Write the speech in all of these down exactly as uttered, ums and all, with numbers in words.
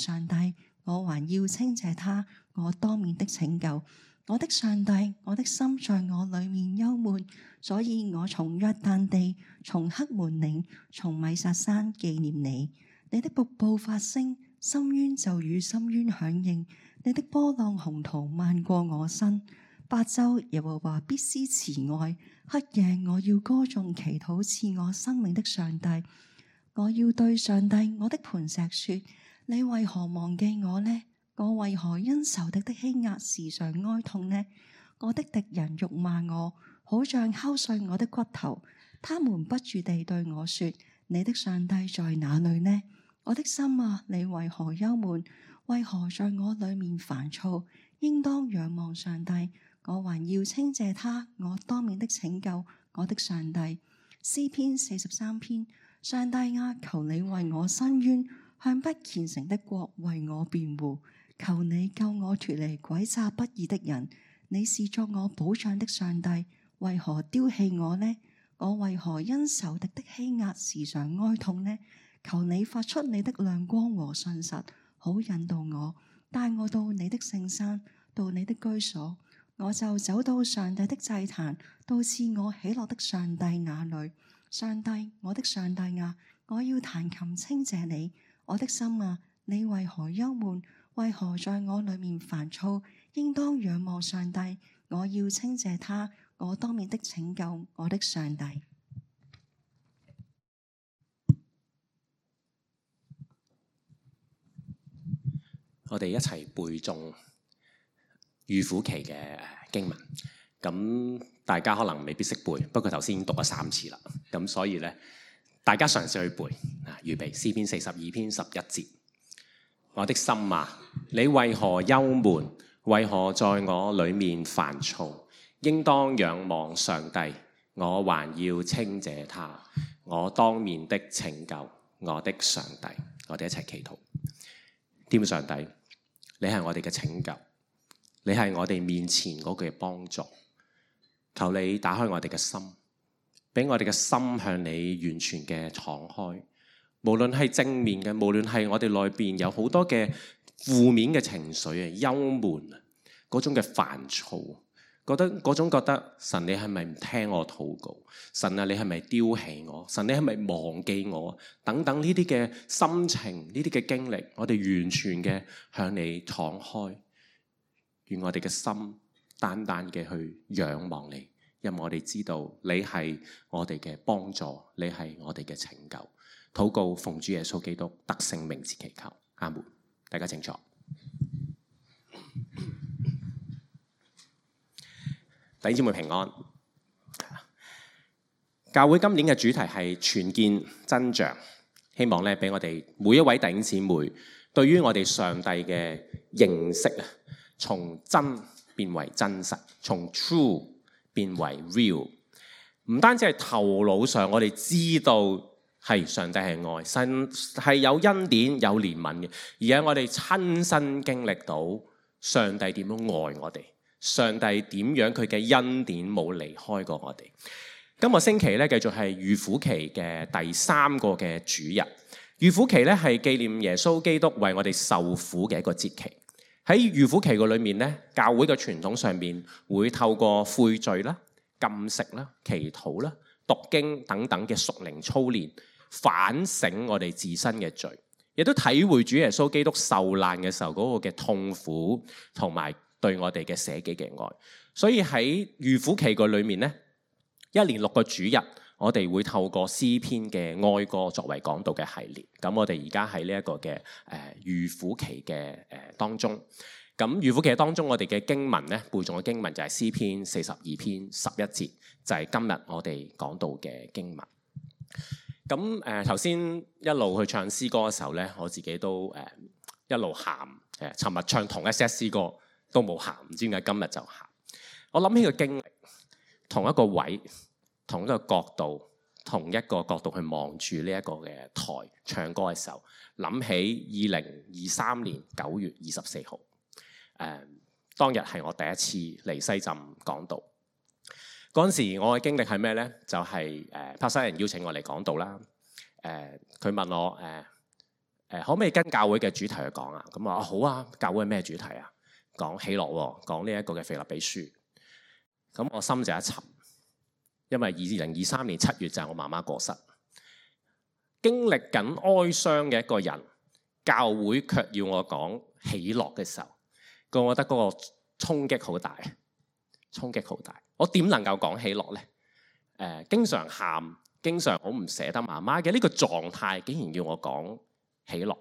上帝，我還要稱謝他，我當面的拯救。我的上帝，我的心在我裏面憂悶，所以我從約旦地，從黑門嶺，從米薩山紀念你。你的瀑布發聲，深淵就與深淵響應，你的波浪洪濤漫過我身。白晝耶和華必施慈愛，黑夜我要歌頌祈禱賜我生命的上帝。我要對上帝我的磐石說：你為何忘記我呢？我為何因仇敵的欺壓時常哀痛呢？我的敵人辱罵我，好像敲碎我的骨頭。他們不住地對我說：你的上帝在哪裏呢？我的心啊，你為何憂悶？為何在我裏面煩躁？應當仰望上帝，我還要稱謝他，我當面的拯救，我的上帝。詩篇四十三篇：上帝啊，求你為我伸冤，向不虔誠的國為我辯護。求你救我脫離詭詐不義的人。你是作我保障的上帝，為何丟棄我呢？我為何因仇敵的欺壓時常哀痛呢？求你發出你的亮光和信實，好引導我，帶我到你的聖山，到你的居所。我就走到上帝的祭壇，到賜我喜樂的上帝那裏。上帝，我的上帝啊，我要彈琴稱謝你。我的心啊，你為何憂悶？為何在我裏面煩躁？應當仰望上帝，我要稱謝他，我當面的拯救，我的上帝。我哋一齊背誦預苦期嘅經文，咁大家可能未必識背，不過頭先已經讀咗三次啦，咁所以咧，大家嘗試去背啊！預備詩篇四十二篇十一節：我的心啊，你為何憂悶？為何在我裏面煩躁？應當仰望上帝，我還要稱謝他，我當面的拯救，我的上帝。我哋一齊祈禱。天父上帝，你係我哋嘅拯救，你係我哋面前嗰個嘅幫助。求你打開我哋嘅心，俾我哋嘅心向你完全嘅敞開。無論係正面嘅，無論係我哋內邊有好多嘅負面嘅情緒啊、憂悶啊、嗰種嘅煩躁，覺得嗰種覺得神你係咪唔聽我禱告？神啊，你係咪丟棄我？神你係咪忘記我？等等呢啲嘅心情，呢啲嘅經歷，我哋完全嘅向你敞開，願我哋嘅心單單嘅去仰望你，因為我哋知道你係我哋嘅幫助，你係我哋嘅拯救。禱告奉主耶穌基督得勝名字祈求，阿門。大家請坐。弟兄姊妹平安。教會今年嘅主題係全見真像，希望咧俾我哋每一位弟兄姊妹對於我哋上帝嘅認識啊，從真變為真實，從 true 變為 real。唔單止係頭腦上我哋知道係上帝係愛，神係有恩典有憐憫嘅，而係我哋親身經歷到上帝點樣愛我哋，上帝點樣佢嘅恩典冇離開過我哋。今個星期咧繼續係預苦期嘅第三個嘅主日。預苦期咧係紀念耶穌基督為我哋受苦嘅一個節期。喺預苦期個裏面咧，教會嘅傳統上面會透過悔罪啦、禁食啦、祈禱啦、讀經等等嘅屬靈操練，反省我哋自身嘅罪，亦都體會主耶穌基督受難嘅時候嗰個嘅痛苦，同埋對我哋嘅捨己嘅愛。所以喺預苦期個裏面咧，一連六個主日，我哋會透過詩篇嘅哀歌作為講道嘅系列。咁我哋而家喺呢一個嘅誒預苦期嘅誒當中。咁預苦期當中，我哋嘅經文咧，背誦嘅經文就係詩篇四十二篇十一節，就係、是、今日我哋講到嘅經文。咁誒頭先一路去唱詩歌嘅時候咧，我自己都誒、呃、一路喊誒。尋、呃、日唱同一 set 詩歌都冇喊，唔知點解今日就喊。我諗起個經歷，同一個位，同一個角度，同一個角度去望住呢一個嘅台唱歌嘅時候，諗起二零二三年九月二十四號，誒、呃、當日係我第一次嚟西浸講道。嗰陣時我嘅經歷係咩咧？就係誒柏西人邀請我嚟講道啦。誒、呃、佢問我誒、呃、誒可唔可以跟教會嘅主題去講啊？咁啊好啊，教會係咩主題啊？講喜樂喎，講呢一個嘅腓立比書。咁我心就一沉，因為二零二三年七月就係我媽媽過世，經歷緊哀傷嘅一個人，教會卻要我講喜樂嘅時候，我覺得嗰個衝擊好大，衝擊好大。我點能夠講喜樂呢？誒、呃，經常喊，經常好唔捨得媽媽嘅呢個狀態，竟然要我講喜樂。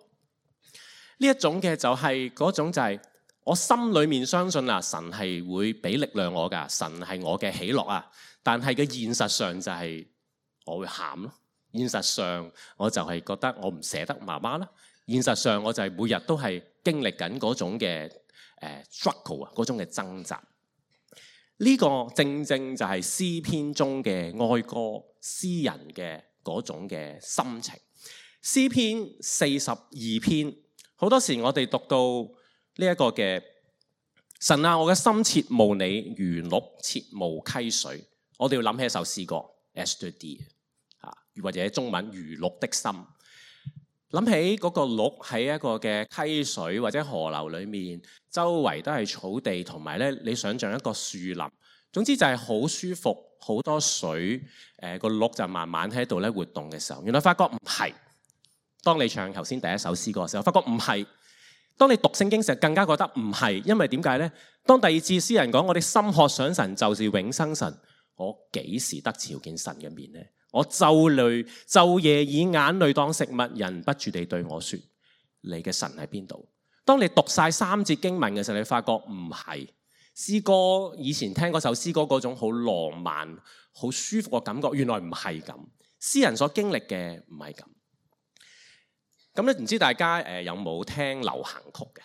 呢一種嘅就係、是、嗰種就係、是。我心裏面相信啊，神係會俾力量我噶，神係我嘅喜樂啊。但係嘅現實上就係我會喊咯。現實上我就係覺得我唔捨得媽媽啦。現實上我就係每日都係經歷緊嗰種嘅誒 struggle 啊，嗰種嘅掙扎。呢、這個正正就係詩篇中嘅哀歌，詩人嘅嗰種嘅心情。詩篇四十二篇，好多時我哋讀到。呢一個嘅神啊，我嘅心切慕你，如鹿切慕溪水。我哋要諗起一首詩歌 ，As the deer 啊，或者中文如鹿的心。諗起嗰個鹿喺一個嘅溪水或者河流裏面，周圍都係草地，同埋咧你想象一個樹林。總之就係好舒服，好多水。誒、呃，個鹿就慢慢喺度咧活動嘅時候，原來發覺唔係。當你唱頭先第一首詩歌嘅時候，發覺唔係。當你讀聖經時，更加覺得唔係，因為點解呢？當第二次詩人講我哋心渴想神，就是永生神，我幾時得朝見神嘅面呢？我晝淚晝夜以眼淚當食物，人不住地對我說：你嘅神喺邊度？當你讀晒三節經文嘅時候，你發覺唔係。詩歌以前聽嗰首詩歌嗰種好浪漫、好舒服嘅感覺，原來唔係咁。詩人所經歷嘅唔係咁。咁咧，唔知大家誒有冇聽流行曲嘅？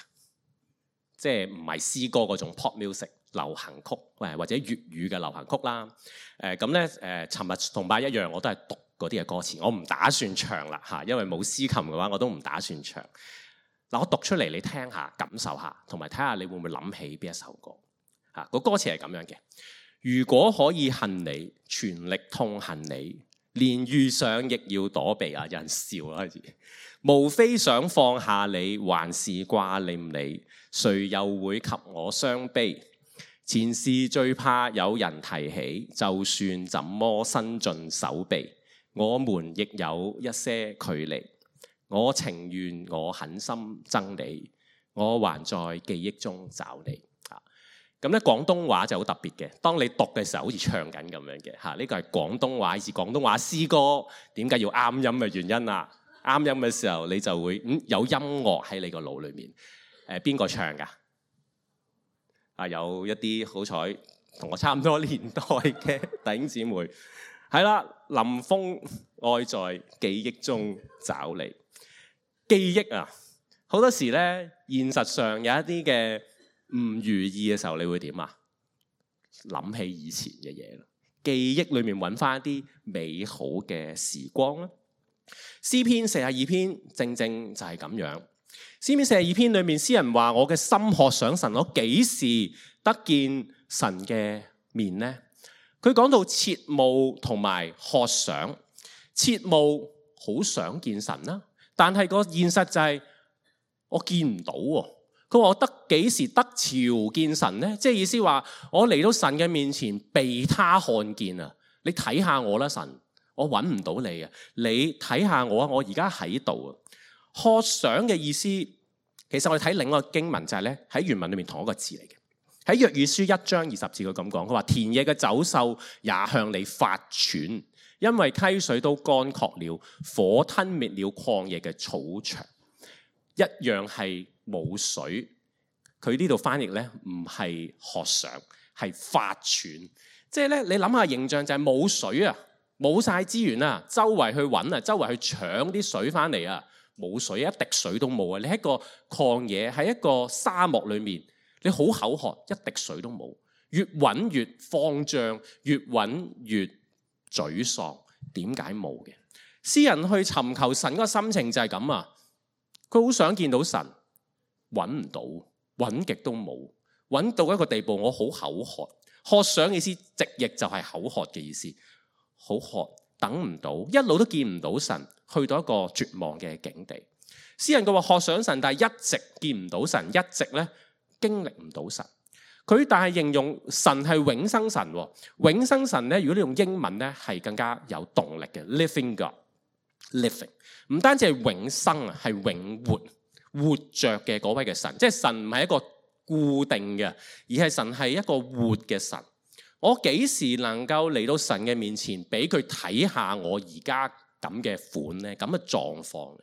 即係唔係詩歌嗰種 pop music 流行曲，誒或者粵語嘅流行曲啦。誒咁咧誒，尋日同拜一樣，我都係讀嗰啲嘅歌詞，我唔打算唱啦嚇，因為冇司琴嘅話，我都唔打算唱。嗱，我讀出嚟你聽下，感受下，同埋睇下你會唔會諗起邊一首歌嚇？個歌詞係咁樣嘅：如果可以恨你，全力痛恨你，連遇上亦要躲避啊！有人笑啦，開始。無非想放下你，還是掛念你，誰又會及我傷悲？前事最怕有人提起，就算怎麼伸盡手臂，我們亦有一些距離。我情願我狠心憎你，我還在記憶中找你。啊，咁咧廣東話就好特別嘅，當你讀嘅時候好似唱緊咁樣嘅嚇。呢個係廣東話，是廣東話詩歌，點解要啱音嘅原因啊？啱音嘅時候，你就會嗯有音樂喺你個腦裏面。誒邊個唱㗎？啊，有一啲好彩同我差唔多年代嘅弟兄姊妹，係啦，林峰愛在記憶中找你。記憶啊，好多時咧，現實上有一啲嘅唔如意嘅時候，你會點啊？諗起以前嘅嘢啦，記憶裏面揾翻一啲美好嘅時光啦。詩篇四十二篇正正就係咁樣。詩篇四十二篇裏面，詩人話：我嘅心渴想神，我幾時得見神嘅面呢？佢講到切慕同埋渴想，切慕好想見神啦，但係個現實就係我見唔到喎。佢話我得幾時得朝見神呢？即係意思話我嚟到神嘅面前被他看見啊！你睇下我啦，神。我揾唔到你啊！你睇下我啊！我而家喺度啊！渴想嘅意思，其實我哋睇另一個經文就係咧，喺原文裏面同一個字嚟嘅。喺約珥書一章二十節佢咁講，佢話田野嘅走獸也向你發喘，因為溪水都乾涸了，火吞滅了曠野嘅草場，一樣係冇水。佢呢度翻譯咧唔係渴想，係發喘。即係咧，你諗下形象就係冇水啊！冇晒資源啊，周圍去揾啊，周圍去搶啲水翻嚟啊，冇水，一滴水都冇啊！你喺個曠野，喺一個沙漠裏面，你好口渴，一滴水都冇，越揾越慌張，越揾越沮喪。點解冇嘅？詩人去尋求神嗰個心情就係咁啊！佢好想見到神，揾唔到，揾極都冇，揾到一個地步，我好口渴。渴想嘅意思，直譯就係口渴嘅意思。好渴，等唔到，一路都見唔到神，去到一個絕望嘅境地。詩人佢話渴想神，但係一直見唔到神，一直咧經歷唔到神。佢但係形容神係永生神，永生神咧，如果你用英文咧係更加有動力嘅 ，living God，living 唔單止係永生啊，係永活活着嘅嗰位嘅神，即係神唔係一個固定嘅，而係神係一個活嘅神。我幾時能夠嚟到神嘅面前，俾佢睇下我而家咁嘅款咧，咁嘅狀況？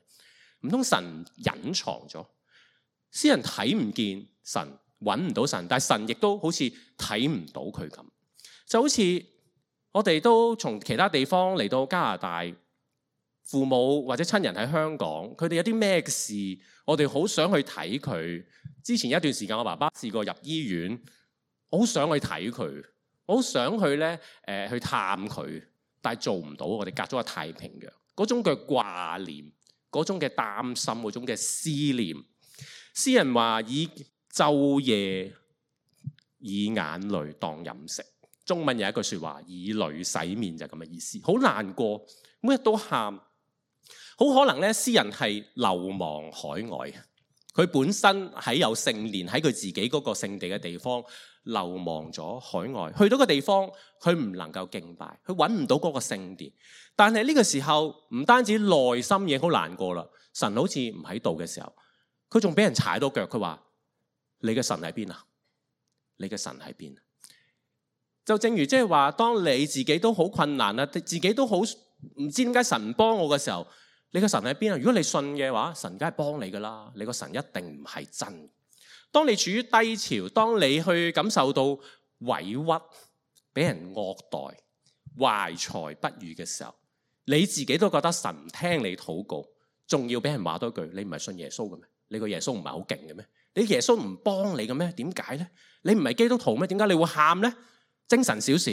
唔通神隱藏咗？詩人睇唔見神，揾唔到神，但係神亦都好似睇唔到佢咁。就好似我哋都從其他地方嚟到加拿大，父母或者親人喺香港，佢哋有啲咩事，我哋好想去睇佢。之前一段時間，我爸爸試過入醫院，我好想去睇佢，我好想去咧，誒、呃、去探佢，但係做唔到。我哋隔咗個太平洋，嗰種嘅掛念，嗰種嘅擔心，嗰種嘅思念。詩人話以晝夜以眼淚當飲食。中文有一句說話，以淚洗面，就係咁嘅意思。好難過，每日都喊。好可能咧，詩人係流亡海外。佢本身喺有聖年喺佢自己嗰個聖地嘅地方流亡咗海外，去到個地方佢唔能夠敬拜，佢揾唔到嗰個聖殿。但係呢個時候唔單止內心已經好難過啦，神好似唔喺度嘅時候，佢仲俾人踩到腳。佢話：你嘅神喺邊啊？你嘅神喺邊？就正如即係話，當你自己都好困難啦，自己都好唔知點解神唔幫我嘅時候，你個神喺邊啊？如果你信嘅話，神梗係幫你噶啦。你個神一定唔係真。當你處於低潮，當你去感受到委屈、俾人惡待、懷才不遇嘅時候，你自己都覺得神唔聽你禱告，仲要俾人話多句：你唔係信耶穌嘅咩？你個耶穌唔係好勁嘅咩？你耶穌唔幫你嘅咩？點解呢？你唔係基督徒咩？點解你會喊呢？精神少少，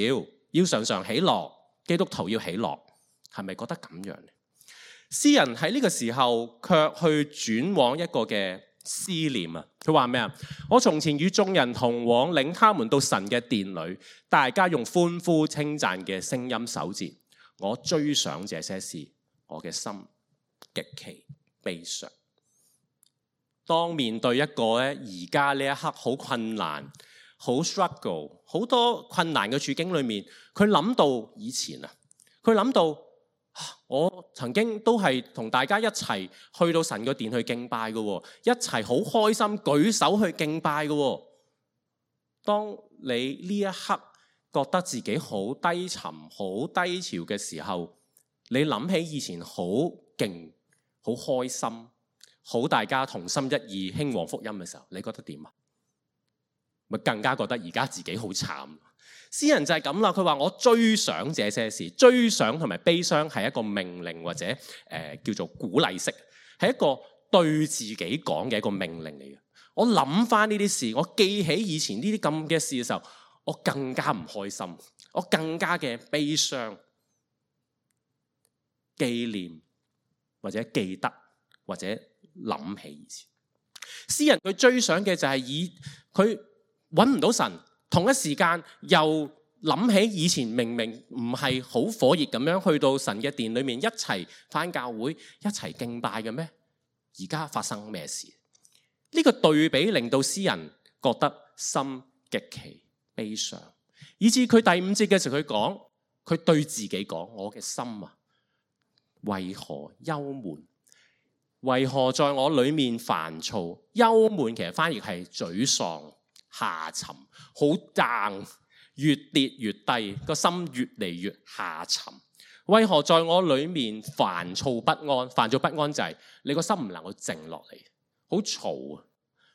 要常常喜樂。基督徒要喜樂，係咪覺得咁樣呢？詩人喺呢個時候卻去轉往一個嘅思念啊！佢話咩啊？我從前與眾人同往，領他們到神嘅殿裏，大家用歡呼稱讚嘅聲音守節。我追想這些事，我嘅心極其悲傷。當面對一個咧而家呢一刻好困難、好 struggle、好多困難嘅處境裏面，佢諗到以前啊，佢諗到。我曾經都係同大家一齊去到神嘅殿去敬拜嘅，一齊好開心舉手去敬拜嘅。當你呢一刻覺得自己好低沉、好低潮嘅時候，你諗起以前好勁、好開心、好大家同心一意興旺福音嘅時候，你覺得點啊？咪更加覺得而家自己好慘。詩人就係咁啦，佢話我追想這些事，追想同埋悲傷係一個命令或者誒、呃、叫做鼓勵式，係一個對自己講嘅一個命令嚟嘅。我諗翻呢啲事，我記起以前呢啲咁嘅事嘅時候，我更加唔開心，我更加嘅悲傷，紀念或者記得或者諗起以前。詩人佢追想嘅就係以佢揾唔到神。同一時間又諗起以前明明唔係好火熱咁樣去到神嘅殿裏面一齊返教會一齊敬拜嘅咩？而家發生咩事？呢個對比令到詩人覺得心極其悲傷，以至佢第五節嘅時候佢講，佢對自己講：我嘅心啊，為何憂悶？為何在我裏面煩躁？憂悶其實翻譯係沮喪。下沉，好 down， 越跌越低，個心越嚟越下沉。為何在我裏面煩躁不安？煩躁不安就係你個心唔能夠靜落嚟，好嘈啊！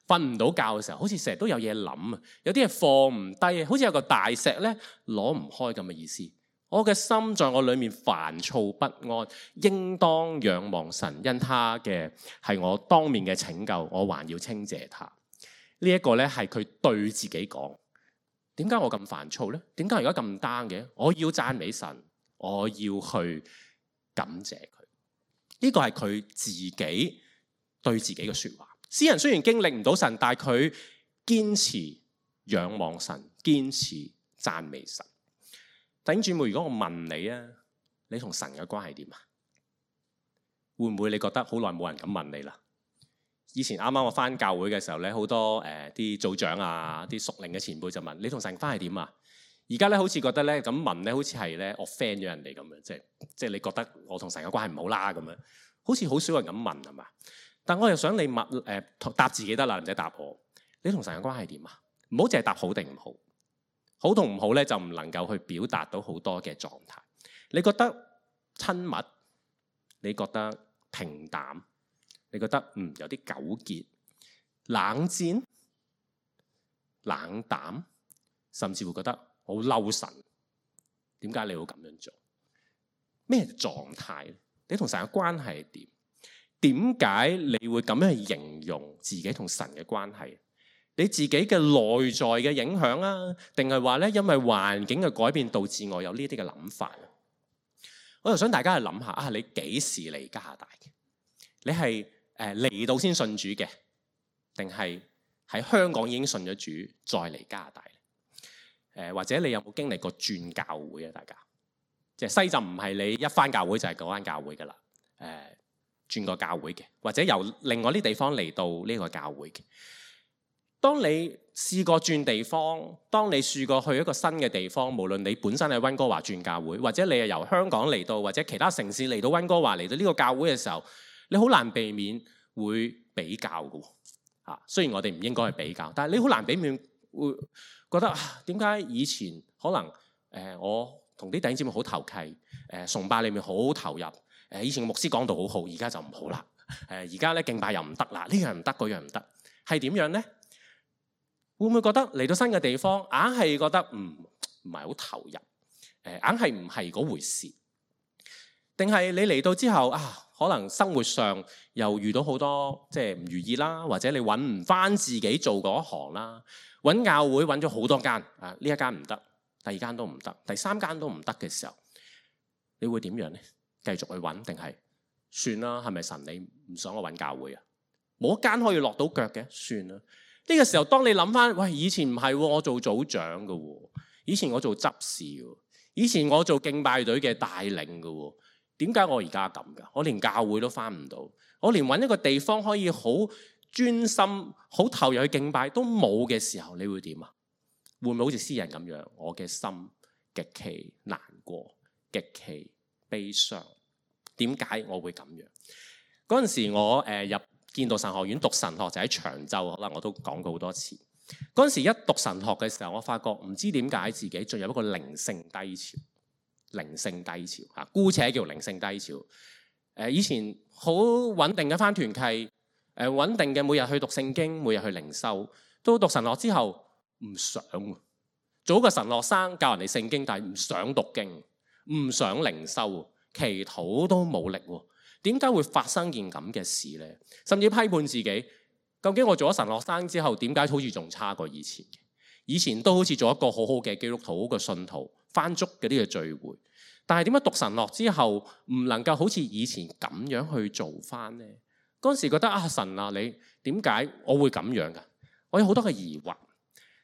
瞓唔到覺嘅時候，好似成日都有嘢諗啊，有啲嘢放唔低，好似有個大石咧攞唔開咁嘅意思。我嘅心在我裏面煩躁不安，應當仰望神，因他嘅係我當面嘅拯救，我還要稱謝他。呢一個咧係佢對自己講，點解我咁煩躁呢？點解而家咁 down 嘅？我要讚美神，我要去感謝佢。呢個係佢自己對自己嘅說話。詩人雖然經歷唔到神，但係佢堅持仰望神，堅持讚美神。弟兄姊妹，如果我問你啊，你同神嘅關係點啊？會唔會你覺得好耐冇人咁問你啦？以前啱啱我翻教會嘅時候咧，好多誒啲組長啊、啲屬靈嘅前輩就問你同神關係點啊？而家咧好似覺得咧咁問咧，好似係咧我 friend 咗人哋咁樣，即係即係你覺得我同神嘅關係唔好啦咁樣，好似好少人咁問係嘛？但我又想你問誒、呃、答自己得啦，唔使答我。你同神嘅關係點啊？唔好淨係答好定唔好，好同唔好咧就唔能夠去表達到好多嘅狀態。你覺得親密？你覺得平淡？你覺得嗯有啲糾結、冷戰、冷淡，甚至會覺得好嬲神？點解你會咁樣做？咩狀態？你同神嘅關係係點？點解你會咁樣去形容自己同神嘅關係？你自己嘅內在嘅影響啊，定係話咧因為環境嘅改變導致我有呢啲嘅諗法？我就想大家去諗下啊，你幾時嚟加拿大嘅？你係誒嚟到先信主嘅，定係喺香港已經信咗主再嚟加拿大？誒、呃、或者你有冇經歷過轉教會啊？大家即係西浸唔係你一返教會就係嗰間教會噶啦。誒、呃、轉個教會嘅，或者由另外啲地方嚟到呢個教會嘅。當你試過轉地方，當你試過去一個新嘅地方，無論你本身係溫哥華轉教會，或者你係由香港嚟到，或者其他城市嚟到溫哥華嚟到呢個教會嘅時候，你好難避免會比較嘅。嚇，雖然我哋唔應該去比較，但係你好難避免會覺得啊，點解以前可能誒、呃、我同啲弟兄姊妹好投契，誒、呃、崇拜裏面好投入，誒、呃、以前牧師講道好好，而家就唔好啦。誒而家咧敬拜又唔得啦，呢樣唔得，嗰樣唔得，係點樣咧？會唔會覺得嚟到新嘅地方，硬係覺得唔唔係好投入？誒，硬係唔係嗰回事？定係你嚟到之後啊，可能生活上又遇到好多即係唔如意啦，或者你揾唔翻自己做嗰一行啦，揾教會揾咗好多間啊，呢一間唔得，第二間都唔得，第三間都唔得嘅時候，你會點樣呢？繼續去揾定係算啦？係咪神你唔想我揾教會啊？冇一間可以落到腳嘅，算啦。呢個時候，當你諗翻，喂，以前唔係喎，我做組長嘅喎，以前我做執事喎，以前我做敬拜隊嘅帶領嘅喎，點解我而家咁㗎？我連教會都翻唔到，我連揾一個地方可以好專心、好投入去敬拜都冇嘅時候，你會點啊？會唔會好似詩人咁樣？我嘅心極其難過，極其悲傷。點解我會咁樣？嗰陣時我誒、呃、入建道神學院讀神學就喺長洲，可能我都講過好多次。嗰陣時一讀神學嘅時候，我發覺唔知點解自己進入一個靈性低潮，靈性低潮嚇，姑且叫靈性低潮。誒，以前好穩定嘅返團契，誒穩定嘅每日去讀聖經，每日去靈修。到讀神學之後唔想，做一個神學生教人哋聖經，但係唔想讀經，唔想靈修，祈禱都冇力喎。點解會發生件咁嘅事呢？甚至批判自己，究竟我做咗神學生之後，點解好似仲差過以前嘅？以前都好似做一個好好嘅基督徒、好嘅信徒，返足嗰啲嘅聚會。但係點解讀神學之後唔能夠好似以前咁樣去做返呢？嗰陣時覺得啊，神啊，你點解我會咁樣㗎？我有好多嘅疑惑。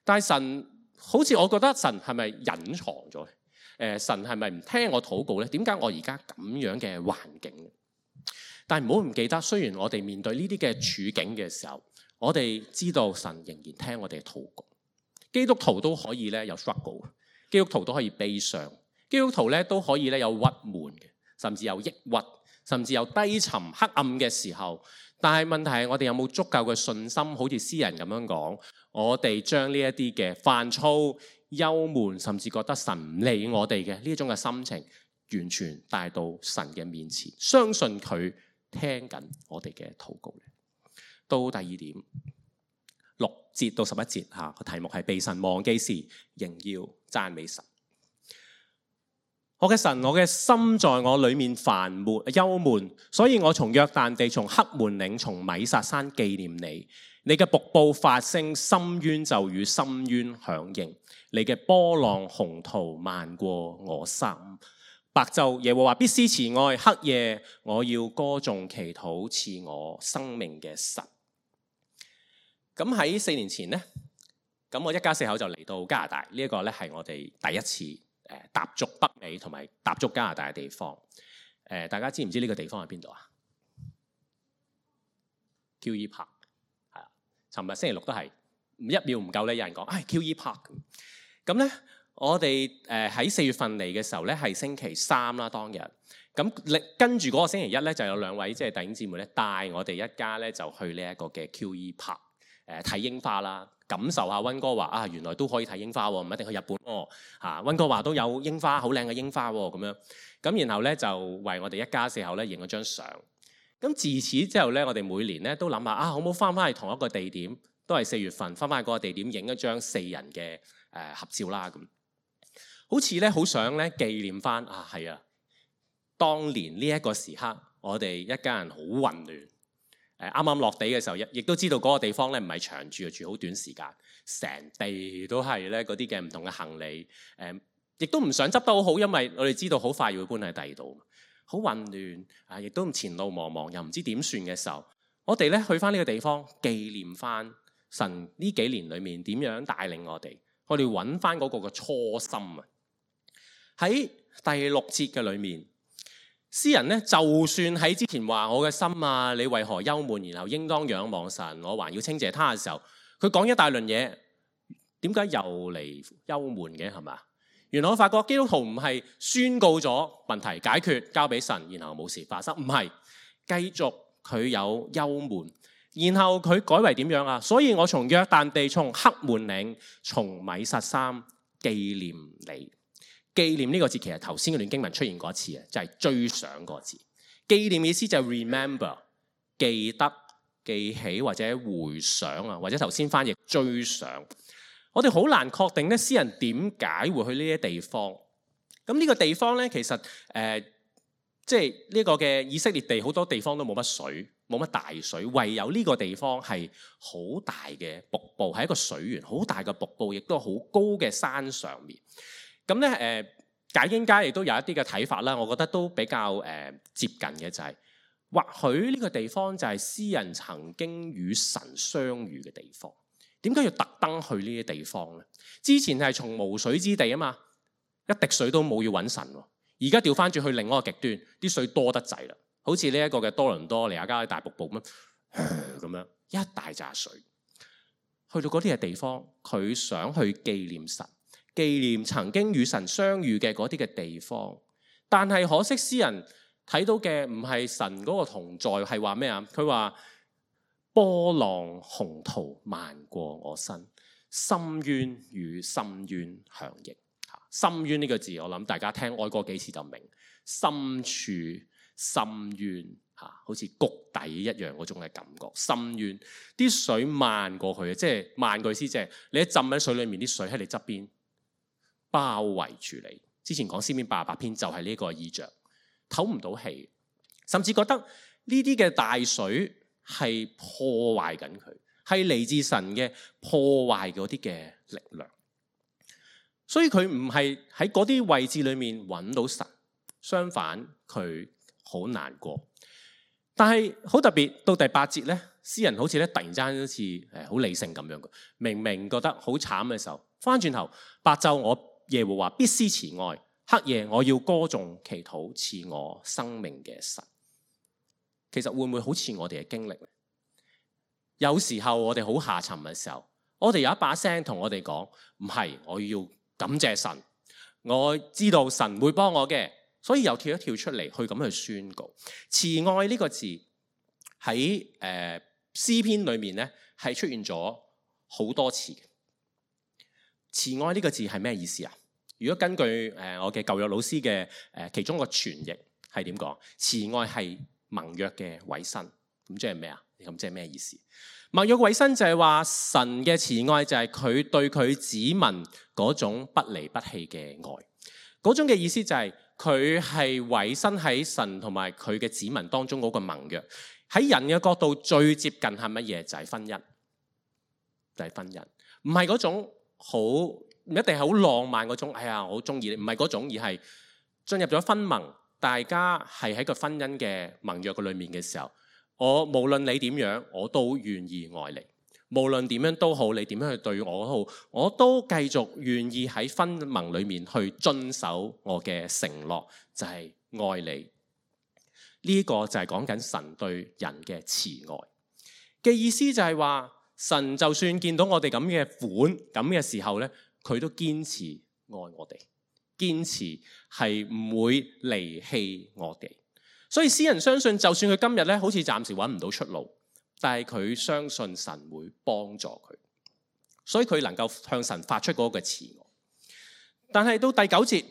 但係神好似我覺得神係咪隱藏咗？誒，神係咪唔聽我禱告呢？點解我而家咁樣嘅環境？但係唔好唔記得，雖然我哋面對呢啲嘅處境嘅時候，我哋知道神仍然聽我哋嘅禱告。基督徒都可以咧有 struggle， 基督徒都可以悲傷，基督徒咧都可以咧有鬱悶嘅，甚至有抑鬱，甚至有低沉黑暗嘅時候。但係問題係我哋有冇足夠嘅信心，好似詩人咁樣講，我哋將呢一啲嘅煩躁、憂悶，甚至覺得神唔理我哋嘅呢種嘅心情，完全帶到神嘅面前，相信佢聽緊我哋嘅禱告。到第二點，六節到十一節嚇，個題目係被神忘記時，仍要讚美神。我嘅神，我嘅心在我裏面煩悶憂悶，所以我從約旦地、從黑門嶺、從米薩山紀念你。你嘅瀑布發聲，深淵就與深淵響應。你嘅波浪洪濤漫過我心。白晝耶和華必施慈愛，黑夜我要歌頌祈禱賜我生命嘅神。咁喺四年前呢，咁我一家四口就嚟到加拿大，呢、這、一個咧係我哋第一次誒踏足北美同埋踏足加拿大嘅地方。誒，大家知唔知呢個地方喺邊度啊？Q E Park 尋日星期六都係唔一秒唔夠咧，有人講唉 Q E Park 咁咧。我哋誒喺四月份嚟嘅時候咧，係星期三啦當日。咁跟住嗰個星期一咧，就有兩位即係弟兄姊妹咧，帶我哋一家咧就去呢一個嘅 Q E Park 誒睇櫻花啦，感受下溫哥華啊，原來都可以睇櫻花喎，唔一定去日本哦嚇。溫哥華都有櫻花，好靚嘅櫻花喎咁樣。咁然後咧就為我哋一家四口咧影咗張相。咁自此之後咧，我哋每年咧都諗下啊，好唔好翻返去同一個地點，都係四月份翻返去嗰個地點影一張四人嘅誒合照啦咁。好似咧好想咧紀念翻啊，係啊，當年呢一個時刻，我哋一家人好混亂。誒啱啱落地嘅時候，亦亦都知道嗰個地方咧唔係長住，住好短時間，成地都係咧嗰啲嘅唔同嘅行李。誒，亦都唔想執得好好，因為我哋知道好快要搬喺第二度，好混亂啊！亦都前路茫茫，又唔知點算嘅時候，我哋咧去翻呢個地方紀念翻神呢幾年裏面點樣帶領我哋，我哋揾翻嗰個嘅初心啊！喺第六節嘅裏面，詩人咧就算喺之前話我嘅心啊，你為何憂悶？然後應當仰望神，我還要稱謝他嘅時候，佢講一大輪嘢，點解又嚟憂悶嘅係嘛？原來我發覺基督徒唔係宣告咗問題解決交俾神，然後冇事發生，唔係繼續佢有憂悶，然後佢改為點樣啊？所以我從約旦地、從黑門嶺、從米實山紀念你。紀念呢個字其實頭先嗰段經文出現過一次啊，就係追想個字。紀念意思就係 remember， 記得、記起或者回想啊，或者頭先翻譯追想。我哋好難確定咧，詩人點解會去呢啲地方？咁呢個地方咧，其實誒，即係呢個嘅以色列地好多地方都冇乜水，冇乜大水，唯有呢個地方係好大嘅瀑布，係一個水源，好大嘅瀑布，亦都好高嘅山上面。咁咧誒，解經家亦都有一啲嘅睇法啦，我覺得都比較誒、呃、接近嘅就係、是，或許呢個地方就係詩人曾經與神相遇嘅地方。點解要特登去呢啲地方咧？之前係從無水之地啊嘛，一滴水都冇要揾神喎。而家調翻轉去另外一個極端，啲水多得滯啦，好似呢一個嘅多倫多尼亞加大瀑布咁樣，咁樣一大紮水。去到嗰啲嘅地方，佢想去紀念神。紀念曾經與神相遇嘅嗰啲嘅地方，但係可惜詩人睇到嘅唔係神嗰個同在，係話咩啊？佢話波浪洪濤漫過我身，深淵與深淵響應。深淵呢個字，我諗大家聽愛過幾次就明，深處深淵嚇，好似谷底一樣嗰種嘅感覺。深淵啲水漫過去，即係漫過去，即係你一浸喺水裡面，啲水喺你側邊包圍住你。之前講詩篇八十八篇就係呢個意象，唞唔到氣，甚至覺得呢啲嘅大水係破壞緊佢，係嚟自神嘅破壞嗰啲嘅力量。所以佢唔係喺嗰啲位置裏面揾到神，相反佢好難過。但係好特別，到第八節咧，詩人好似咧突然之間好似誒好理性咁樣嘅，明明覺得好慘嘅時候，翻轉頭白晝我耶和華必施慈愛，黑夜我要歌頌祈禱賜我生命嘅神。其實會唔會好似我哋嘅經歷？有時候我哋好下沉嘅時候，我哋有一把聲同我哋講，唔係，我要感謝神，我知道神會幫我嘅，所以又跳一跳出嚟去咁去宣告。慈愛呢個字喺誒、呃、詩篇裏面咧係出現咗好多次。慈愛呢個字係咩意思啊？如果根據誒、呃、我嘅舊約老師嘅誒、呃、其中一個傳譯係點講？慈愛係盟約嘅委身，咁即係咩啊？咁即係咩意思？盟約委身就係話神嘅慈愛就係佢對佢子民嗰種不離不棄嘅愛，嗰種嘅意思就係佢係委身喺神同埋佢嘅子民當中嗰個盟約。喺人嘅角度最接近係乜嘢？就係婚姻，就係婚姻，唔係嗰種好唔一定係好浪漫嗰種。哎呀，我好中意你，唔係嗰種，而係進入咗婚盟，大家係喺個婚姻嘅盟約嘅裏面嘅時候。我無論你點樣，我都願意愛你。無論點樣都好，你點樣去對我好，我都繼續願意喺婚盟裏面去遵守我嘅承諾，就係愛你。呢個就係講緊神對人嘅慈愛嘅意思，就係話神就算見到我哋咁嘅款咁嘅時候呢，佢都堅持愛我哋，堅持係唔會離棄我哋。所以詩人相信，就算佢今日呢好似暫時揾唔到出路，但係佢相信神會幫助佢，所以佢能夠向神發出嗰個慈愛。但係到第九節，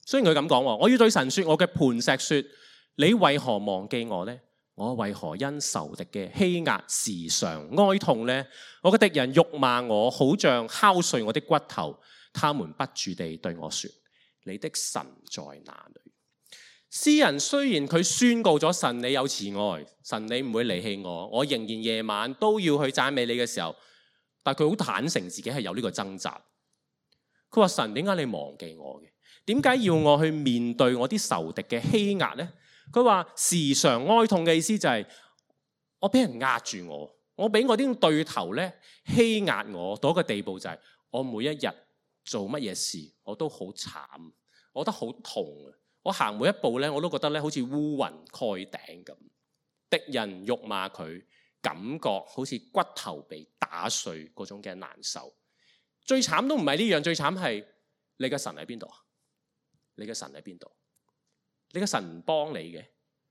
雖然佢咁講，我要對神說，我嘅磐石說，你為何忘記我呢？我為何因仇敵嘅欺壓時常哀痛呢？我嘅敵人辱罵我，好像敲碎我的骨頭。他們不住地對我說，你的神在哪裏？詩人雖然佢宣告咗神你有慈愛，神你唔會離棄我，我仍然夜晚都要去讚美你嘅時候，但佢好坦誠自己係有呢個掙扎。佢話，神，點解你忘記我嘅？點解要我去面對我啲仇敵嘅欺壓呢？佢話時常哀痛嘅意思就係我俾人壓住我，我俾我啲對頭咧欺壓我到一個地步，就係我每一日做乜嘢事我都好慘，我覺得好痛啊！我行每一步咧，我都覺得咧好似烏雲蓋頂咁。敵人辱罵佢，感覺好似骨頭被打碎嗰種嘅難受。最慘都唔係呢樣，最慘係你嘅神喺邊度啊？你嘅神喺邊度？你嘅神唔幫你嘅，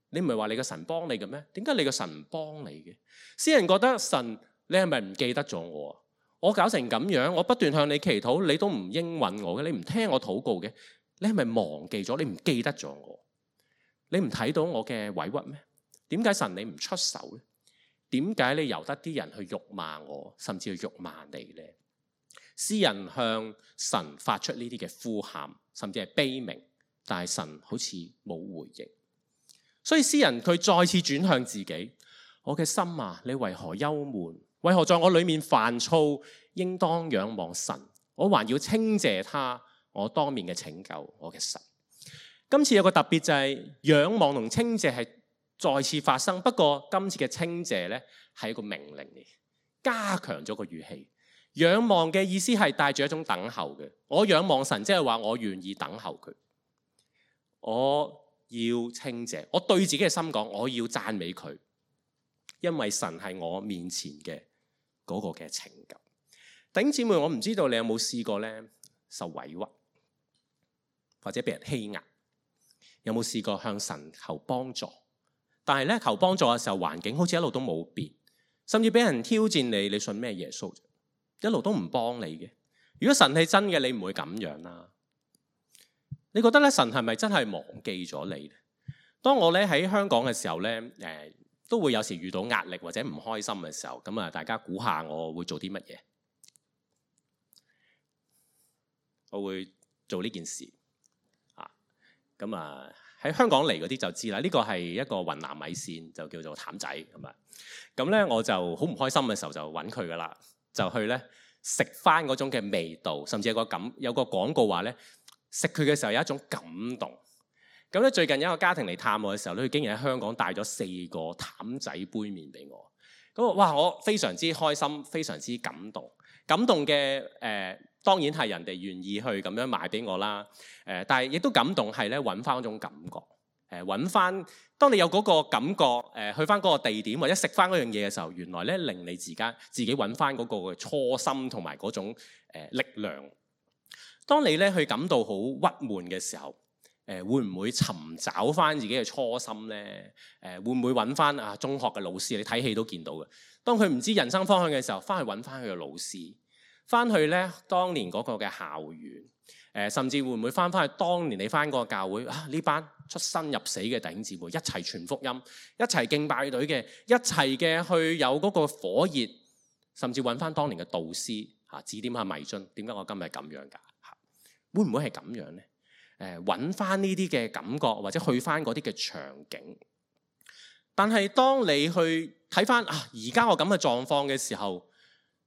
你唔係話你嘅神幫你嘅咩？點解你嘅神唔幫你嘅？詩人覺得神，你係咪唔記得咗我啊？我搞成咁樣，我不斷向你祈禱，你都唔應允我嘅，你唔聽我禱告嘅，你係咪忘記咗？你唔記得咗我？你唔睇到我嘅委屈咩？點解神你唔出手咧？點解你由得啲人去辱罵我，甚至去辱罵你呢？詩人向神發出呢啲嘅呼喊，甚至係悲鳴。但係神好似冇回應，所以詩人佢再次轉向自己，我嘅心啊，你為何憂悶？為何在我裏面煩躁？應當仰望神，我還要稱謝他，我當面嘅拯救，我嘅神。今次有個特別就係仰望同稱謝係再次發生，不過今次嘅稱謝呢係一個命令嚟，加強咗個語氣。仰望嘅意思係帶住一種等候嘅，我仰望神，即係話我願意等候佢。我要稱謝，我對自己嘅心講，我要讚美佢，因為神係我面前嘅嗰個嘅拯救。弟兄姊妹，我唔知道你有冇試過咧受委屈，或者被人欺壓，有冇試過向神求幫助？但係咧求幫助嘅時候，環境好似一路都冇變，甚至俾人挑戰你，你信咩耶穌？一路都唔幫你嘅。如果神係真嘅，你唔會咁樣啦。你覺得咧神係咪真係忘記咗你咧？當我咧喺香港嘅時候咧，誒、呃、都會有時遇到壓力或者唔開心嘅時候，咁啊大家估下我會做啲乜嘢？我會做呢件事啊！咁啊喺香港嚟嗰啲就知啦，呢、這個係一個雲南米線，就叫做譚仔咁啊。咁咧我就好唔開心嘅時候就揾佢噶啦，就去咧食翻嗰種嘅味道，甚至有個感有個廣告話咧。食佢嘅時候有一種感動，咁咧最近有一個家庭嚟探我嘅時候咧，佢竟然喺香港帶咗四個譚仔杯麵俾我，咁哇我非常之開心，非常之感動，感動嘅誒、呃、當然係人哋願意去咁樣買俾我啦，誒、呃、但係亦都感動係咧揾翻嗰種感覺，誒揾翻當你有嗰個感覺，誒、呃、去翻嗰個地點或者食翻嗰樣嘢嘅時候，原來咧令你自家自己揾翻嗰個初心同埋嗰種、呃、力量。當你咧去感到好鬱悶嘅時候，誒會唔會尋找翻自己嘅初心咧？誒會唔會揾翻啊中學嘅老師？你睇戲都見到嘅。當佢唔知人生方向嘅時候，翻去揾翻佢嘅老師，翻去咧當年嗰個嘅校園，誒甚至會唔會翻翻去當年你翻嗰個教會啊？呢班出生入死嘅弟兄姊妹一齊傳福音，一齊敬拜隊嘅，一齊嘅去有嗰個火熱，甚至揾翻當年嘅導師嚇指點下迷津。點解我今日咁樣㗎？會唔會係咁樣呢？誒揾翻呢啲嘅感覺，或者去翻嗰啲嘅場景。但係當你去睇翻啊，而家我咁嘅狀況嘅時候，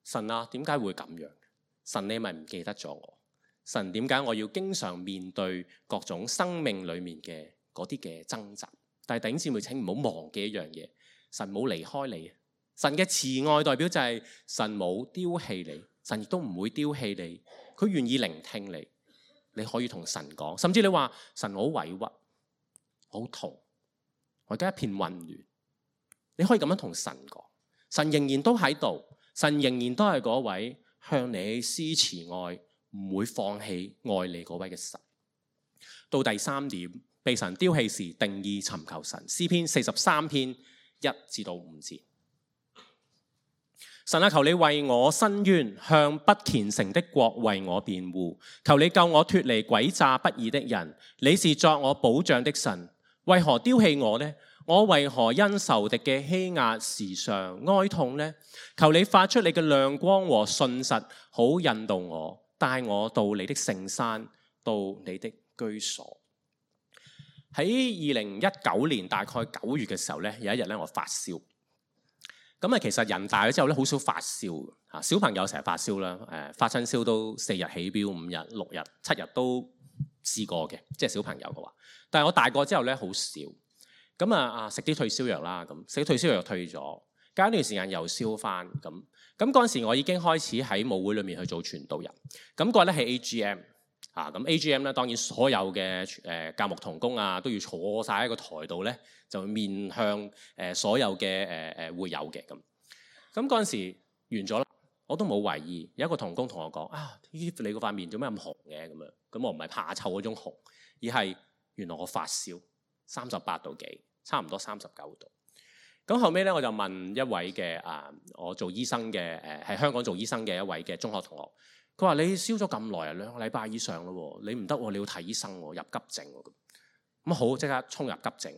神啊，點解會咁樣？神你咪唔記得咗我？神點解我要經常面對各種生命裡面嘅嗰啲嘅掙扎？但係弟兄姊妹，請唔好忘記一樣嘢，神冇離開你。神嘅慈愛代表就係神冇丟棄你，神亦都唔會丟棄你，佢願意聆聽你。你可以同神講，甚至你話神好委屈、好痛，我而家一片混亂。你可以咁樣同神講，神仍然都喺度，神仍然都係嗰位向你施慈愛，唔會放棄愛你嗰位嘅神。到第三點，被神丟棄時定意尋求神。詩篇四十三篇一至到五節。神啊，求你為我伸冤，向不虔誠的國為我辯護。求你救我脫離詭詐不義的人。你是作我保障的神，為何丟棄我呢？我為何因仇敵嘅欺壓時常哀痛呢？求你發出你嘅亮光和信實，好引導我，帶我到你的聖山，到你的居所。喺二零一九年大概九月嘅時候呢，有一日咧我發燒。咁啊，其實人大咗之後咧，好少發燒嚇。小朋友成日發燒啦，誒發親燒都四日起標，五日、六日、七日都試過嘅，即係小朋友嘅話。但係我大個之後咧，好少。咁啊啊，食啲退燒藥啦，咁食啲退燒藥退咗，隔一段時間又燒翻咁。咁嗰陣時我已經開始喺母會裏面去做傳道人。咁嗰日咧係 A G M 嚇，咁 A G M 咧當然所有嘅誒教牧同工啊都要坐晒喺個台度咧，就面向誒所有嘅誒誒會友嘅咁。咁嗰陣時完咗啦，我都冇懷疑。有一個同工同我講：啊，你個塊面做咩咁紅嘅咁樣？咁我唔係怕臭嗰種紅，而係原來我發燒三十八度幾，差唔多三十九度。咁後尾咧，我就問一位嘅啊，我做醫生嘅誒，喺香港做醫生嘅一位嘅中學同學，佢話：你燒咗咁耐啊，兩個禮拜以上咯，你唔得喎，你要睇醫生喎，入急症喎。咁好，即刻衝入急症。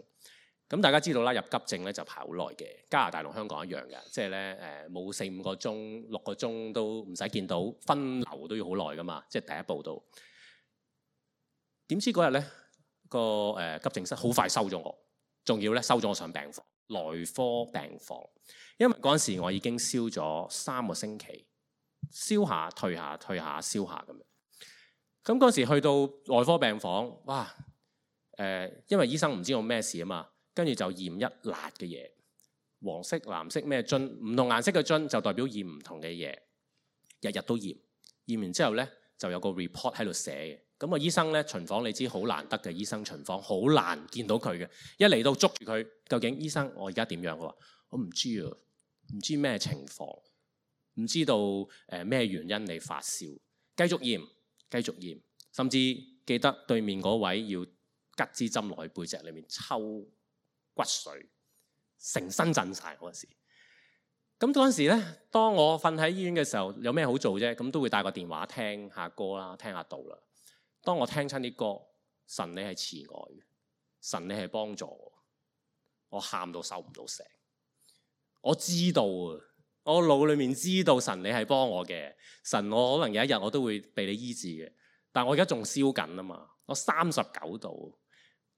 咁大家知道啦，入急症咧就排好耐嘅，加拿大同香港一樣嘅，即係咧誒冇四五個鐘、六個鐘都唔使見到，分流都要好耐噶嘛，即係第一步都。點知嗰日咧個誒急症室好快收咗我，仲要咧收咗我上病房，內科病房，因為嗰陣時我已經燒咗三個星期，燒下退下退下燒下咁樣。咁嗰陣時去到內科病房，哇誒、呃，因為醫生唔知我咩事啊嘛。跟住就驗一辣嘅嘢，黃色、藍色咩樽，唔同顏色嘅樽就代表驗唔同嘅嘢，日日都驗。驗完之後咧，就有個 report 喺度寫嘅。咁個醫生咧巡房，你知好難得嘅醫生巡房，好難見到佢嘅。一嚟到捉住佢，究竟醫生我而家點樣？佢話我唔知啊，唔知咩情況，唔知道誒咩、呃、原因你發燒。繼續驗，繼續驗，甚至記得對面嗰位要吉支針落去背脊裏面抽骨髓，成身震晒嗰陣時。咁嗰陣時咧，當我瞓喺醫院嘅時候，有咩好做啫？咁都會帶個電話聽下歌啦，聽下道啦。當我聽親啲歌，神你係慈愛嘅，神你係幫助我，我喊到收唔到聲。我知道啊，我腦裏面知道神你係幫我嘅，神我可能有一日我都會被你醫治嘅。但我而家仲燒緊啊嘛，我三十九度，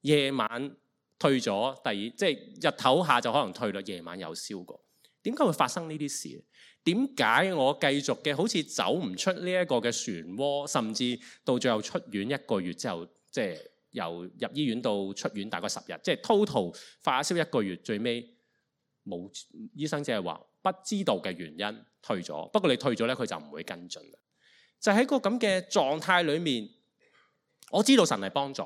夜晚退咗，第二即係日頭下就可能退啦，夜晚又燒過。點解會發生呢啲事？點解我繼續嘅好似走唔出呢一個嘅漩渦，甚至到最後出院一個月之後，即係由入醫院到出院大概十日，即係 total 發燒一個月，最尾冇醫生只係話不知道嘅原因退咗。不過你退咗咧，佢就唔會跟進啦。就喺個咁嘅狀態裏面，我知道神係幫助，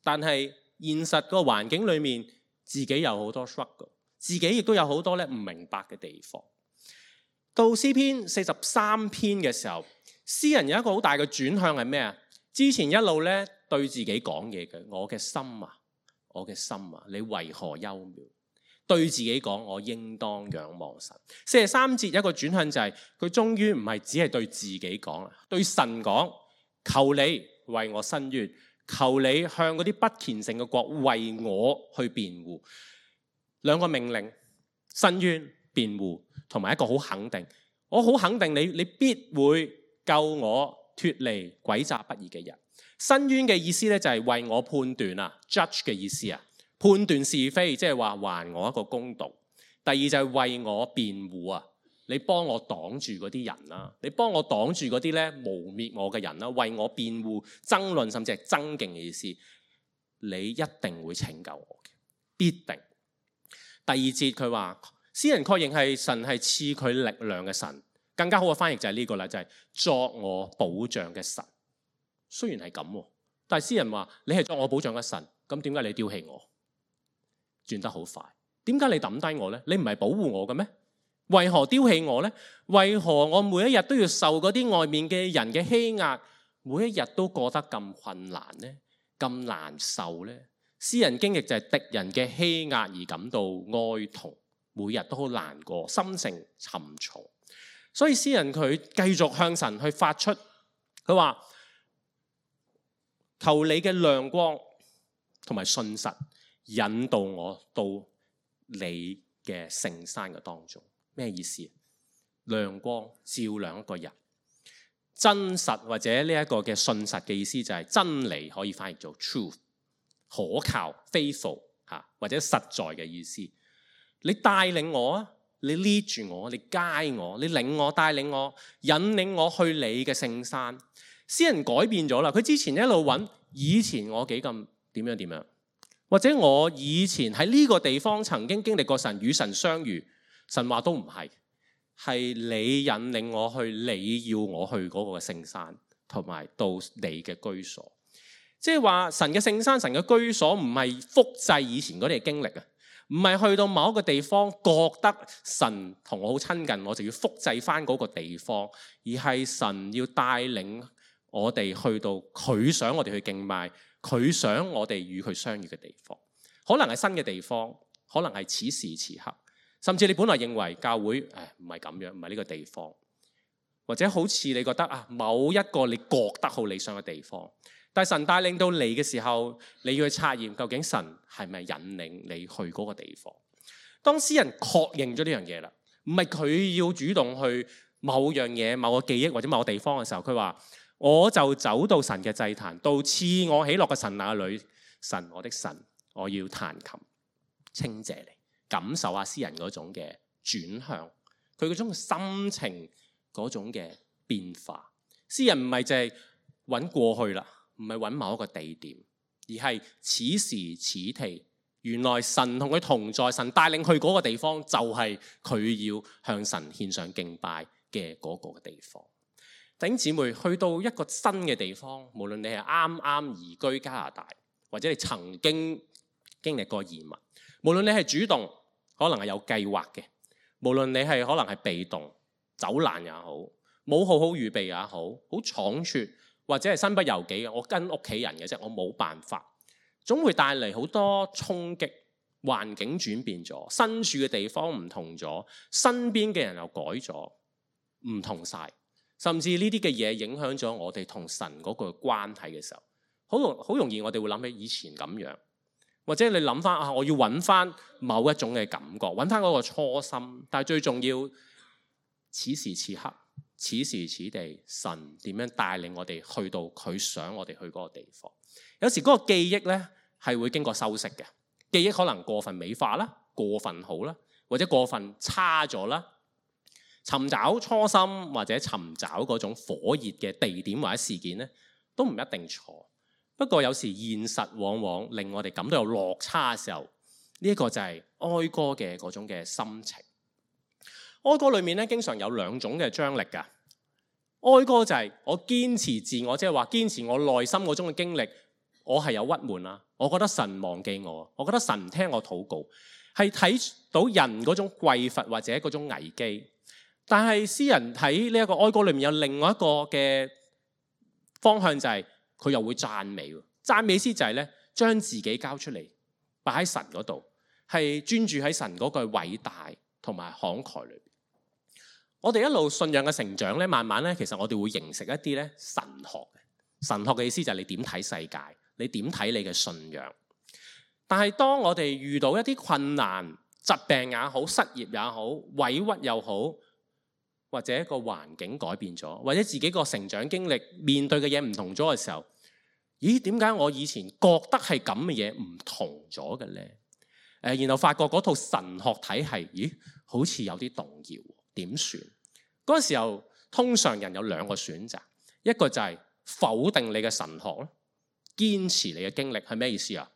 但係現實個環境裏面，自己有好多 struggle， 自己亦都有好多咧唔明白嘅地方。到詩篇四十三篇嘅時候，詩人有一個好大嘅轉向係咩啊？之前一路咧對自己講嘢嘅，我嘅心啊，我嘅心啊，你為何幽渺？對自己講，我應當仰望神。四十三節有一個轉向就係、是，佢終於唔係只係對自己講啦，對神講，求你為我伸冤。求你向嗰啲不虔誠嘅國為我去辯護。兩個命令，伸冤、辯護，同埋一個好肯定。我好肯定你，你必會救我脫離詭詐不義嘅人。伸冤嘅意思咧就係為我判斷啊 ，judge 嘅意思啊，判斷是非，即係話還我一個公道。第二就係為我辯護啊。你幫我擋住嗰啲人啦，你幫我擋住嗰啲咧污蔑我嘅人啦，為我辯護、爭論甚至係爭競嘅意思，你一定會拯救我嘅，必定。第二節佢話，詩人確認係神係賜佢力量嘅神，更加好嘅翻譯就係呢個啦，就係作我保障嘅神。雖然係咁，但係詩人話你係作我保障嘅神，咁點解你丟棄我？轉得好快，點解你抌低我咧？你唔係保護我嘅咩？為何丟棄我呢？為何我每一日都要受嗰啲外面嘅人嘅欺壓，每一日都過得咁困難呢？咁難受呢？詩人經歷就係敵人嘅欺壓而感到哀痛，每日都好難過，心情沉重。所以詩人佢繼續向神去發出，佢話求你嘅亮光同埋信實引導我到你嘅聖山嘅當中。咩意思？亮光照亮一個人，真實或者呢一個嘅信實嘅意思就係真理，可以翻譯做 truth， 可靠 faithful 吓，或者實在嘅意思。你帶領我啊，你 lead 住我，你 guide我，你領我帶領我，引領我去你嘅聖山。詩人改變咗啦，佢之前一路揾以前我幾咁點樣點樣，或者我以前喺呢個地方曾經經歷過神與神相遇，神話都唔係，係你引領我去你要我去嗰個聖山，同埋到你嘅居所。即係話神嘅聖山，神嘅居所唔係複製以前嗰啲嘅經歷啊，唔係去到某一個地方覺得神同我好親近，我就要複製翻嗰個地方，而係神要帶領我哋去到佢想我哋去敬拜，佢想我哋與佢相遇嘅地方。可能係新嘅地方，可能係此時此刻，甚至你本來認為教會誒唔係咁樣，唔係呢個地方，或者好似你覺得啊某一個你覺得好理想嘅地方，但係神帶領到你嘅時候，你要去察驗究竟神係咪引領你去嗰個地方。當詩人確認咗呢樣嘢啦，唔係佢要主動去某樣嘢、某個記憶或者某個地方嘅時候，佢話我就走到神嘅祭壇，到賜我喜樂嘅神那裏，神我的神，我要彈琴稱謝你，感受下詩人嗰種嘅轉向，佢嗰種心情嗰種嘅變化。詩人唔係淨係揾過去啦，唔係揾某一個地點，而係此時此地，原來神同佢同在，神帶領去嗰個地方，就係佢要向神獻上敬拜嘅嗰個地方。弟兄姊妹，去到一個新嘅地方，無論你係啱啱移居加拿大，或者你曾經經歷過移民，無論你係主動，可能係有計劃嘅，無論你係可能係被動，走難也好，冇好好預備也好，好倉促，或者係身不由己嘅，我跟屋企人嘅啫，我冇辦法，總會帶嚟好多衝擊，環境轉變咗，身處嘅地方唔同咗，身邊嘅人又改咗，唔同晒。甚至呢啲嘅嘢影響咗我哋同神嗰個關係嘅時候，好容好容易我哋會諗起以前咁樣，或者你諗翻啊，我要揾翻某一種嘅感覺，揾翻嗰個初心。但係最重要，此時此刻，此時此地，神點樣帶領我哋去到佢想我哋去嗰個地方。有時嗰個記憶呢係會經過修飾嘅，記憶可能過分美化啦，過分好啦，或者過分差咗啦。尋找初心或者尋找嗰種火熱嘅地點或者事件呢，都唔一定錯。不過有時現實往往令我哋感到有落差嘅時候，呢一個就係哀歌嘅嗰種嘅心情。哀歌裏面咧，經常有兩種嘅張力㗎。哀歌就係我堅持自我，即係話堅持我內心嗰種嘅經歷，我係有鬱悶啦，我覺得神忘記我，我覺得神唔聽我禱告，係睇到人嗰種匱乏或者嗰種危機。但係詩人喺呢一個哀歌裏面有另外一個嘅方向，就係佢又會讚美。讚美詩就係咧，將自己交出嚟，擺喺神嗰度，係專注喺神嗰個偉大同埋慷慨裏邊。我哋一路信仰嘅成長咧，慢慢咧，其實我哋會形成一啲咧神學嘅。神學嘅意思就係你點睇世界，你點睇你嘅信仰。但係當我哋遇到一啲困難、疾病也好、失業也好、委屈又好，或者一個環境改變咗，或者自己個成長經歷面對嘅嘢唔同咗嘅時候，咦？點解我以前覺得係咁嘅嘢唔同咗嘅咧？誒，然後發覺嗰套神學體系，咦？好似有啲動搖，點算？嗰陣時候，通常人有兩個選擇，一個就係否定你嘅神學咯，堅持你嘅經歷係咩意思啊？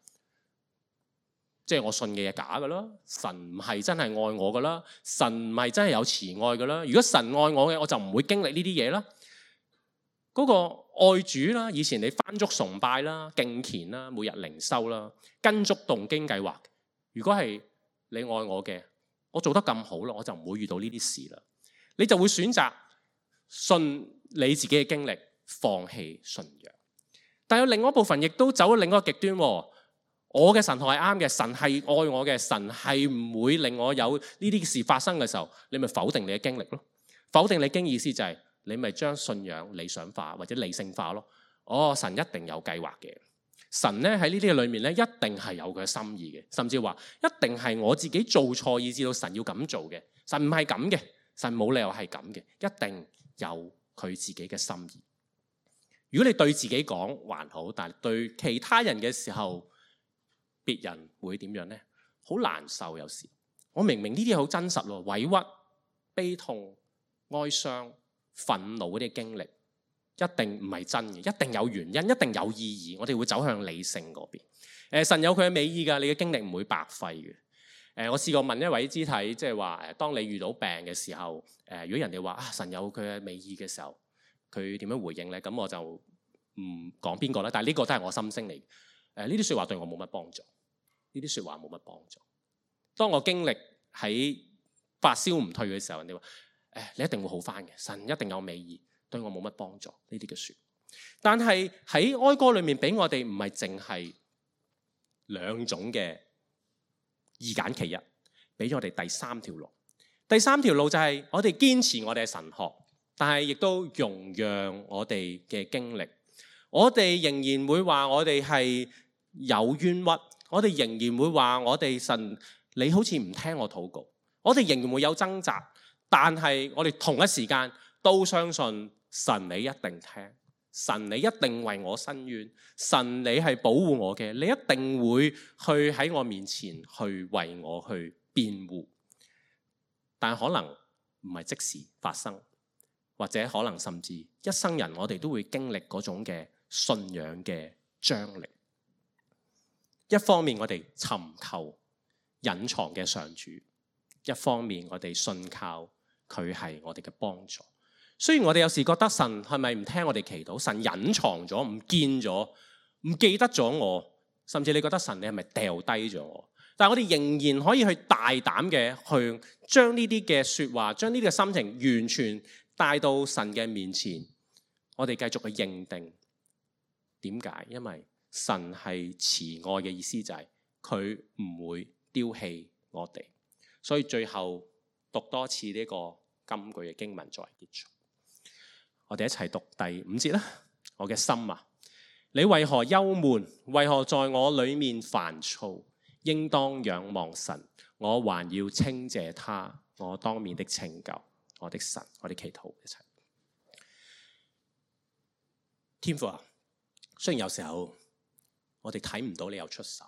即係我信嘅嘢假㗎啦，神唔係真係愛我㗎啦，神唔係真係有慈愛㗎啦。如果神愛我嘅，我就唔會經歷呢啲嘢啦。嗰個愛主啦，以前你翻足崇拜啦、敬虔啦、每日靈修啦、跟足動經計劃。如果係你愛我嘅，我做得咁好啦，我就唔會遇到呢啲事啦。你就會選擇信你自己嘅經歷，放棄信仰。但有另外一部分亦都走咗另一個極端。我嘅神學係啱嘅，神係愛我嘅，神係唔會令我有呢啲事發生嘅時候，你咪否定你嘅經歷咯。否定你經意思就係你咪將信仰理想化或者理性化咯。哦，神一定有計劃嘅，神咧喺呢啲嘅裏面咧一定係有佢嘅心意嘅，甚至話一定係我自己做錯以至到神要咁做嘅。神唔係咁嘅，神冇理由係咁嘅，一定有佢自己嘅心意。如果你對自己講還好，但係對其他人嘅時候，別人會點樣呢？好難受。有時我明明呢啲好真實咯，委屈、悲痛、哀傷、憤怒嗰啲經歷，一定唔係真嘅，一定有原因，一定有意義。我哋會走向理性嗰邊。誒，神有佢嘅美意㗎，你嘅經歷唔會白費嘅。誒，我試過問一位肢體，即係話誒，當你遇到病嘅時候，誒，如果人哋話啊神有佢嘅美意嘅時候，佢點樣回應咧？咁我就唔講邊個啦。但係呢個都係我心聲嚟。誒，呢啲説話對我冇乜幫助。呢啲説話冇乜幫助。當我經歷喺發燒唔退嘅時候，人哋話誒，你一定會好返嘅，神一定有美意，對我冇乜幫助呢啲嘅説。但係喺哀歌裏面俾我哋唔係淨係兩種嘅二揀其一，俾咗我哋第三條路。第三條路就係我哋堅持我哋嘅神學，但係亦都容讓我哋嘅經歷。我哋仍然會話我哋係有冤屈。我哋仍然會話我哋神，你好似唔聽我禱告。我哋仍然會有掙扎，但係我哋同一時間都相信神你一定聽，神你一定為我伸冤，神你係保護我嘅，你一定會去喺我面前去為我去辯護。但可能唔係即時發生，或者可能甚至一生人我哋都會經歷嗰種嘅信仰嘅張力。一方面我哋尋求隱藏嘅上主，一方面我哋信靠佢係我哋嘅幫助。雖然我哋有時覺得神係咪唔聽我哋祈禱，神隱藏咗、唔見咗、唔記得咗我，甚至你覺得神你係咪掉低咗我？但係我哋仍然可以去大膽嘅去將呢啲嘅說話，將呢啲嘅心情完全帶到神嘅面前，我哋繼續去認定。點解？因為神係慈愛嘅意思，就係佢唔會丟棄我哋。所以最後讀多次呢個金句嘅經文作為結束。我哋一齊讀第五節啦。我嘅心啊，你為何憂悶？為何在我裏面煩躁？應當仰望神，我還要稱謝他，我當面的拯救，我的神。我哋祈禱一齊。天父啊，雖然有時候我哋睇唔到你有出手，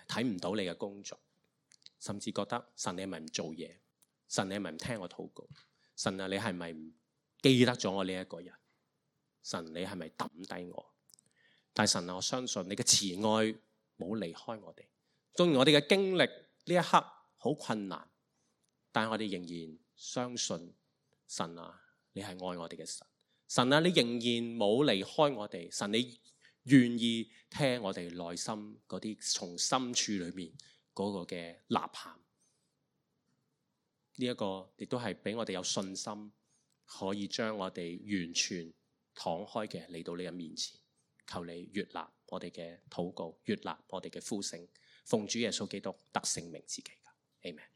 睇唔到你嘅工作，甚至覺得神你係咪唔做嘢？神你係咪唔聽我禱告？神啊，你係咪唔記得咗我呢一個人？神你係咪抌低我？但神啊，我相信你嘅慈愛冇離開我哋。縱然我哋嘅經歷呢一刻好困難，但係我哋仍然相信神啊，你係愛我哋嘅神。神啊，你仍然冇離開我哋。神你願意聽我哋內心嗰啲從深處裏面嗰個嘅吶喊，呢一個亦都係俾我哋有信心，可以將我哋完全敞開嘅嚟到你嘅面前，求你悅納我哋嘅禱告，悅納我哋嘅呼聲，奉主耶穌基督得勝名字祈求，阿們。